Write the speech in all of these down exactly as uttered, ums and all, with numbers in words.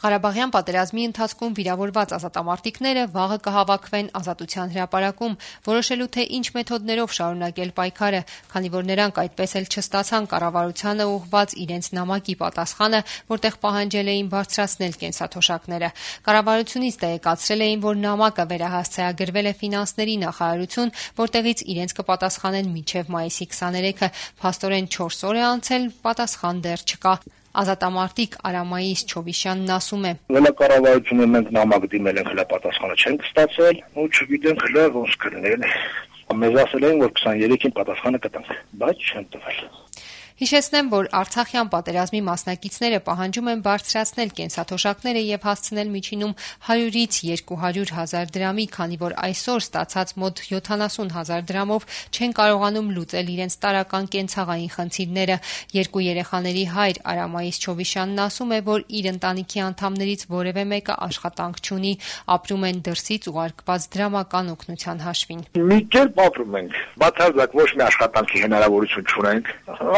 Ղարաբաղյան պատերազմի ընթացքում վիրավորված ազատամարտիկները վաղը կհավաքվեն Ազատության հրապարակում, որոշելու թե ինչ մեթոդներով շարունակել պայքարը, քանի որ նրանք այդպես էլ չստացան կառավարությանը ուղղված իրենց նամակի պատասխանը, որտեղ պահանջել էին բարձրացնել կենսաթոշակները։ Կառավարությունից տեղեկացրել էին, որ նամակը վերահասցեագրվել է ֆինանսների նախարարություն, որտեղից իրենց կպատասխանեն մինչև մայիսի քսաներեքը։ Փաստորեն չորս օր է անցել, պատասխան դեռ չկա։ Ազատամարտիկ Արամայիս Չովիշյանն ասում է. Կառավարությունը մենք նամակ դիմել ենք, հլա պատասխանը չենք ստացել, ու չգիտենք հլա ոնց կլինել։ Մեզ ասել էին, որ քսաներեքին պատասխանը կտանք, բայց չեն տվել։ Հիշեցնեմ, որ Արցախյան պատերազմի մասնակիցները պահանջում են բարձրացնել կենսաթոշակները եւ հասցնել միջինում հարյուրից երկու հարյուր հազար դրամի, քանի որ այսօր ստացած մոտ յոթանասուն հազար դրամով չեն կարողանում լուծել իրենց տարրական կենցաղային խնդիրները։ Երկու երեխաների հայր Արամայիս Չովիշյանն ասում է, որ իր ընտանիքի անդամներից որևէ մեկը աշխատանք չունի, ապրում են դրսից ուղարկված դրամական օգնության հաշվին։ Մի կերպ ապրում ենք, բացարձակ ոչ մի աշխատանքի հնարավորություն չունենք։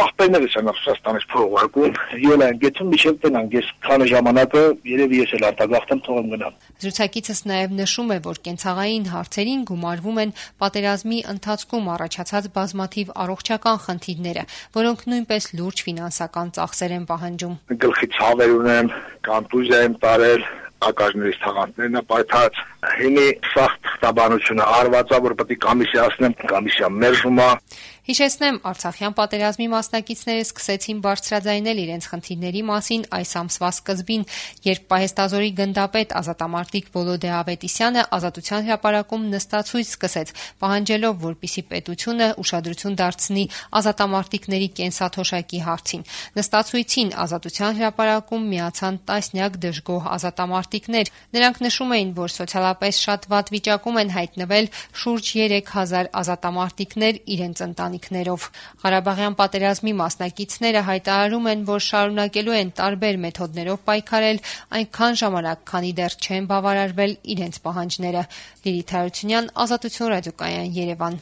Աղբերներս են Ռուսաստանից փող ուղարկում, ելա են գեցում, միշտ տենանք, ես քանի ժամանակը երևի ես էլ արտագաղթեմ, թողեմ գնամ։ Զրուցակիցս նաև նշում է, որ կենցաղային հարցերին գումարվում են պատերազմի ընթացքում առաջացած բազմաթիվ առողջական խնդիրները, որոնք նույնպես լուրջ ֆինանսական ծախսեր են պահանջում։ Գլխի ցավեր ունեմ, կոնտուզիա եմ տարել, ակաժներից թաղանթներն է պայթած, հինի սաղ թղթաբանությունը արվածա, որ պետք է կոմիսիացնեմ, կոմիսիա մերժում է։ Հիշեցնեմ, Արցախյան պատերազմի մասնակիցները սկսեցին բարձրաձայնել իրենց խնդիրների մասին այս ամսվա սկզբին, երբ պահեստազորի գնդապետ ազատամարտիկ Վոլոդե Ավետիսյանը Ազատության հրապարակում նստացույց սկսեց, պահանջելով, որպեսզի պետությունը ուշադրություն դարձնի ազատամարտիկների կենսաթոշակի հարցին։ Նստացույցին Ազատության հրապարակում միացան տասնյակ դժգոհ ազատամարտիկներ։ Նրանք նշում էին, որ սոցիալապես շատ վատ վիճակում են հայտնվել շուրջ երեք հազար ազատամարտիկներ իրենց ընտանիքներով։ Ղարաբաղյան պատերազմի մասնակիցները հայտարարում են, որ շարունակելու են տարբեր մեթոդներով պայքարել այնքան ժամանակ, քանի դեռ չեն բավարարվել իրենց պահանջները։ Լիլիթ Հարությունյան, Ազատություն ռադիոկայան, Երևան։